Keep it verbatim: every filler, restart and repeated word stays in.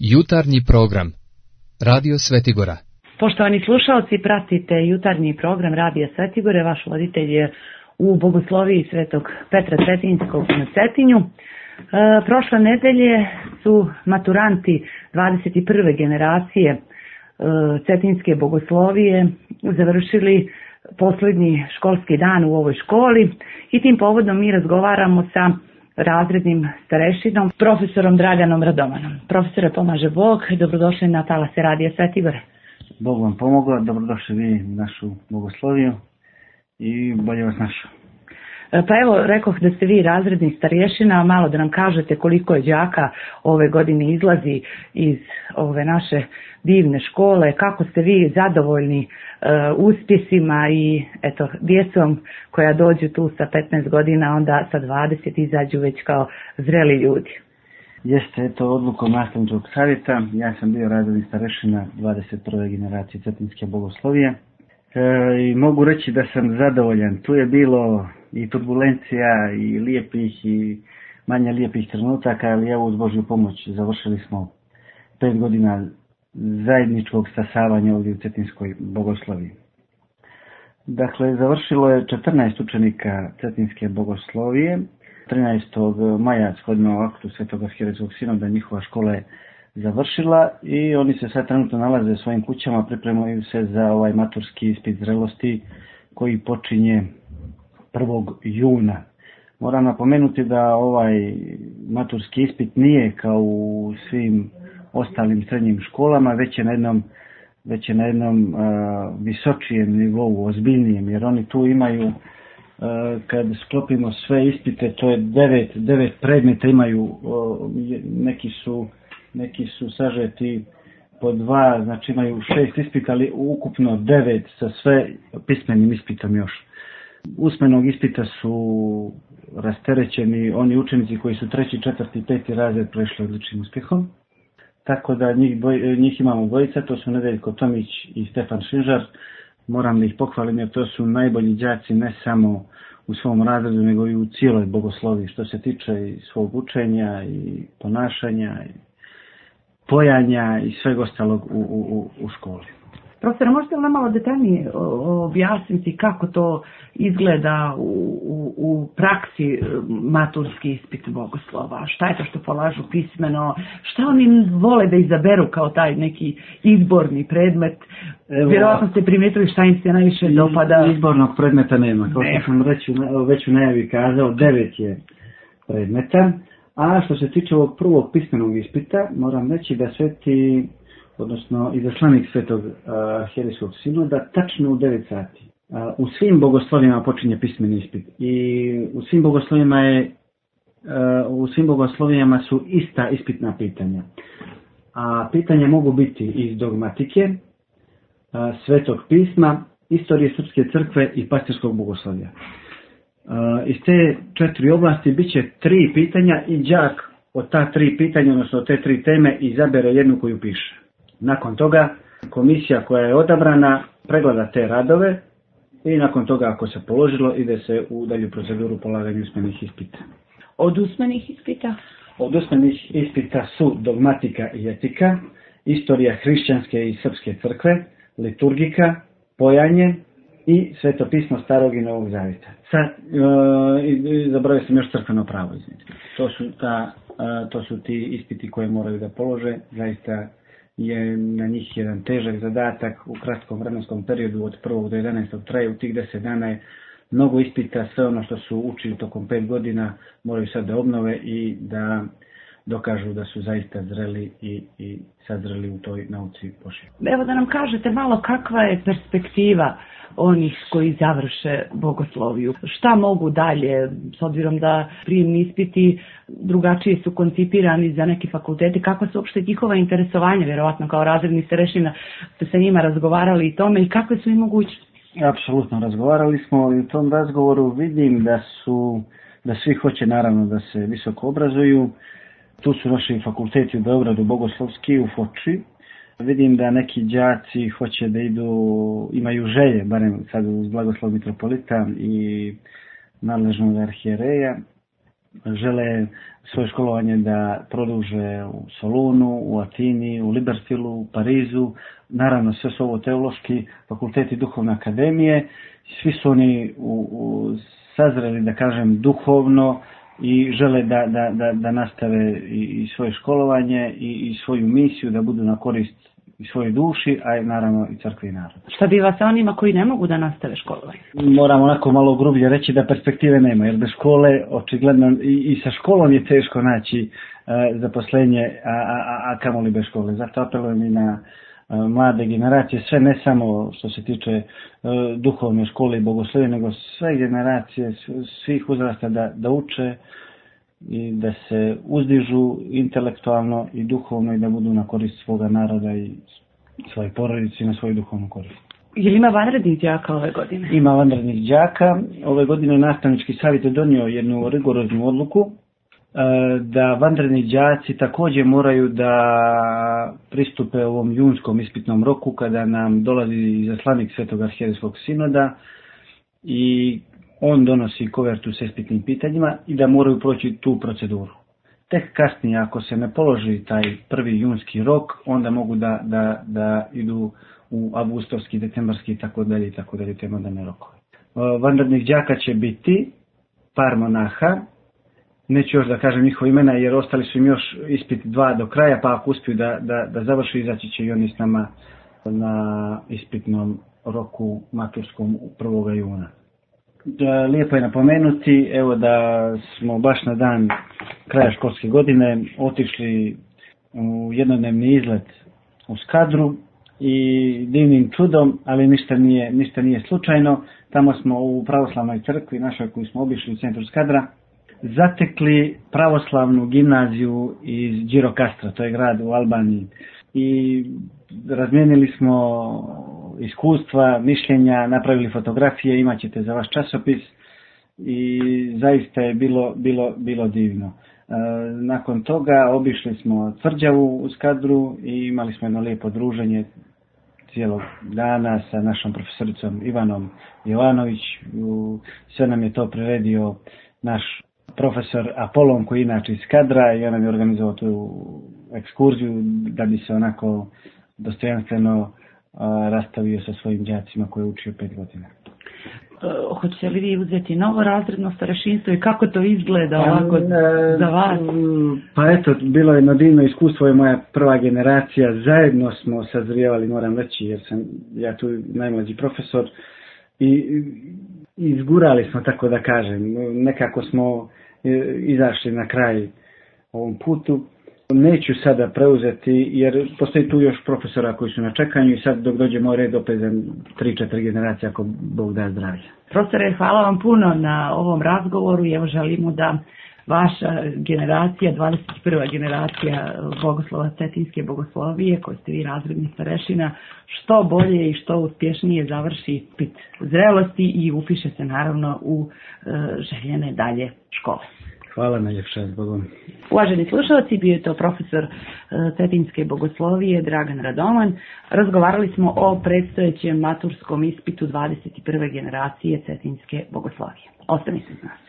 Jutarnji program Radio Svetigora. Poštovani slušalci, pratite jutarnji program Radija Svetigore. Vaš voditelj je u Bogosloviji Svetog Petra Cetinjskog na Cetinju. E, prošle nedelje su maturanti dvadeset prve generacije e, Cetinjske Bogoslovije završili posljednji školski dan u ovoj školi i tim povodom mi razgovaramo sa razrednim starešinom, profesorom Draganom Radovanom. Profesore, pomaže Bog, dobrodošli na talase Radija Svetigore. Bog vam pomogao, dobrodošli vi u našu Bogosloviju i bolje vas našao. Pa evo, rekoh da ste vi razredni starješina, malo da nam kažete koliko je đaka ove godine izlazi iz ove naše divne škole, kako ste vi zadovoljni uh, uspjesima i eto, djecom koja dođu tu sa petnaest godina, onda sa dvadeset izađu već kao zreli ljudi. Jeste, eto, odlukom nastavničkog savjeta, ja sam bio razredni starješina dvadeset prve generacije Cetinjske Bogoslovije e, i mogu reći da sam zadovoljan. Tu je bilo i turbulencija i lijepih i manje lijepih trenutaka, ali evo uz Božju pomoć završili smo pet godina zajedničkog stasavanja ovdje u Cetinjskoj Bogosloviji. Dakle, završilo je četrnaest učenika Cetinjske Bogoslovije. trinaestog maja shodno aktu Svetog Arhijerejskog sinoda njihova škola je završila i oni se sad trenutno nalaze u svojim kućama, pripremaju se za ovaj maturski ispit zrelosti koji počinje prvog juna. Moram napomenuti da ovaj maturski ispit nije kao u svim ostalim srednjim školama, već je na jednom, već je na jednom uh, visočijem nivou, ozbiljnijem, jer oni tu imaju, uh, kad sklopimo sve ispite, to je devet, devet predmeta imaju, uh, neki su, neki su sažeti po dva, znači imaju šest ispita, ali ukupno devet sa sve pismenim ispitom još. Usmenog ispita su rasterećeni oni učenici koji su treći, četvrti, peti razred prešli odličnim uspjehom. Tako da njih, dvoj, njih imamo dvojica, to su Nedeljko Tomić i Stefan Šinžar. Moram da ih pohvalim jer to su najbolji đaci ne samo u svom razredu nego i u cijeloj Bogosloviji što se tiče i svog učenja i ponašanja i pojanja i sveg ostalog u, u, u školi. Profesor, možete li nam malo detaljnije objasniti kako to izgleda u, u, u praksi maturski ispit bogoslova? Šta je to što polažu pismeno? Šta oni vole da izaberu kao taj neki izborni predmet? Evo, vjerojatno ste primijetili šta im se najviše dopada. Izbornog predmeta nema. Kao što sam reći, već u najavi kazao, devet je predmeta. A što se tiče ovog prvog pismenog ispita, moram reći da sveti odnosno izaslanik Svetog Arhijerejskog sinoda, tačno u devet sati. A, u svim bogoslovima počinje pismeni ispit i u svim bogoslovima je a, u svim bogoslovijama su ista ispitna pitanja. A pitanja mogu biti iz dogmatike, a, Svetog pisma, istorije Srpske crkve i pastirskog bogoslovja. A, iz te četiri oblasti bit će tri pitanja i đak od ta tri pitanja, odnosno od te tri teme, izabere jednu koju piše. Nakon toga komisija koja je odabrana pregleda te radove i nakon toga ako se položilo ide se u dalju proceduru polaganja usmenih ispita. Od usmenih ispita? Od usmenih ispita su dogmatika i etika, istorija hrišćanske i srpske crkve, liturgika, pojanje i svetopismo Starog i Novog Zavjeta. Sad, e, zaboravio sam još crkveno pravo, izvinite. To su ta, e, to su ti ispiti koje moraju da polože, zaista je na njih jedan težak zadatak u kratkom vremenskom periodu od prvog do jedanaestog traje, u tih deset dana je mnogo ispita, sve ono što su učili tokom pet godina moraju sad da obnove i da dokažu da su zaista zreli i, i sazreli u toj nauci Božjoj. Evo da nam kažete malo kakva je perspektiva onih koji završe bogosloviju. Šta mogu dalje, s obzirom da prijemni ispiti drugačije su koncipirani za neki fakulteti, kakva su uopšte njihova interesovanja, vjerovatno kao razredni starešina ste sa njima razgovarali i tome i kakve su im mogućnosti? Apsolutno, razgovarali smo i u tom razgovoru vidim da su, da svi hoće naravno da se visoko obrazuju. Tu su naši fakulteti u Beogradu, Bogoslovski, u Foči. Vidim da neki đaci hoće da idu, imaju želje, barem sad uz blagoslov mitropolita i nadležnog arhijereja, žele svoje školovanje da produže u Solunu, u Atini, u Liberstilu, u Parizu. Naravno, sve su ovo teološki fakulteti duhovne akademije. Svi su oni u, u sazreli, da kažem, duhovno i žele da, da, da, da nastave i, i svoje školovanje i, i svoju misiju, da budu na korist i svojoj duši, a naravno i crkvi i narodu. Šta biva sa onima koji ne mogu da nastave školovanje? Moram onako malo grublje reći da perspektive nema, jer bez škole očigledno i, i sa školom je teško naći uh, zaposlenje, a, a, a kamoli bez škole. Zato apelujem i na uh, mlade generacije, sve ne samo što se tiče uh, duhovne škole i bogoslovije, nego sve generacije, svih uzrasta da, da uče i da se uzdižu intelektualno i duhovno i da budu na korist svoga naroda i svoje porodice i na svoju duhovnu korist. Je li ima vanrednih đaka ove godine? Ima vanrednih đaka. Ove godine nastavnički savjet je donio jednu rigoroznu odluku da vanredni đaci također moraju da pristupe ovom junskom ispitnom roku kada nam dolazi izaslanik Svetog arhijerejskog sinoda i on donosi kovertu s ispitnim pitanjima i da moraju proći tu proceduru. Tek kasnije, ako se ne položi taj prvi junski rok, onda mogu da, da, da idu u avgustovski, decembarski i tako dalje i tako dalje te moderne rokove. Vanrednih đaka će biti par monaha, neću još da kažem njihova imena jer ostali su im još ispit dva do kraja, pa ako uspiju da, da, da završi, izaći će i oni s nama na ispitnom roku maturskom prvog juna. Lijepo je napomenuti, evo da smo baš na dan kraja školske godine otišli u jednodnevni izlet u Skadru i divnim čudom, ali ništa nije, ništa nije slučajno. Tamo smo u pravoslavnoj crkvi našoj koju smo obišli u centru Skadra zatekli pravoslavnu gimnaziju iz Girokastra, to je grad u Albaniji, i razmijenili smo iskustva, mišljenja, napravili fotografije, imat ćete za vaš časopis i zaista je bilo, bilo, bilo divno. E, nakon toga obišli smo tvrđavu u Skadru i imali smo jedno lijepo druženje cijelog dana sa našom profesoricom Ivanom Jovanović. Sve nam je to priredio naš profesor Apolon koji je inače iz Skadra i on nam je organizovao tu ekskurziju da bi se onako dostojanstveno rastavio sa svojim đacima koje je učio pet godina. Uh, hoćete li vi uzeti novo razredno starešinstvo i kako to izgleda ovako uh, za vas? Pa eto, bilo je jedno divno iskustvo, je moja prva generacija, zajedno smo sazrijevali, moram reći, jer sam ja tu najmlađi profesor i izgurali smo, tako da kažem, nekako smo izašli na kraj ovom putu. Neću sada preuzeti jer postoji tu još profesora koji su na čekanju i sad dok dođe moj red opet za tri četiri generacije ako Bog da zdravlja. Profesore, hvala vam puno na ovom razgovoru i evo želimo da vaša generacija, dvadeset prva generacija bogoslova Cetinske bogoslovije, koji ste vi razredni starešina, što bolje i što uspješnije završi ispit zrelosti i upiše se naravno u e, željene dalje škole. Hvala najljepša, Bogom. Uvaženi slušalci, bio je to profesor Cetinske bogoslovije Dragan Radoman. Razgovarali smo o predstojećem maturskom ispitu dvadeset prve generacije Cetinske bogoslovije. Ostanite s nas.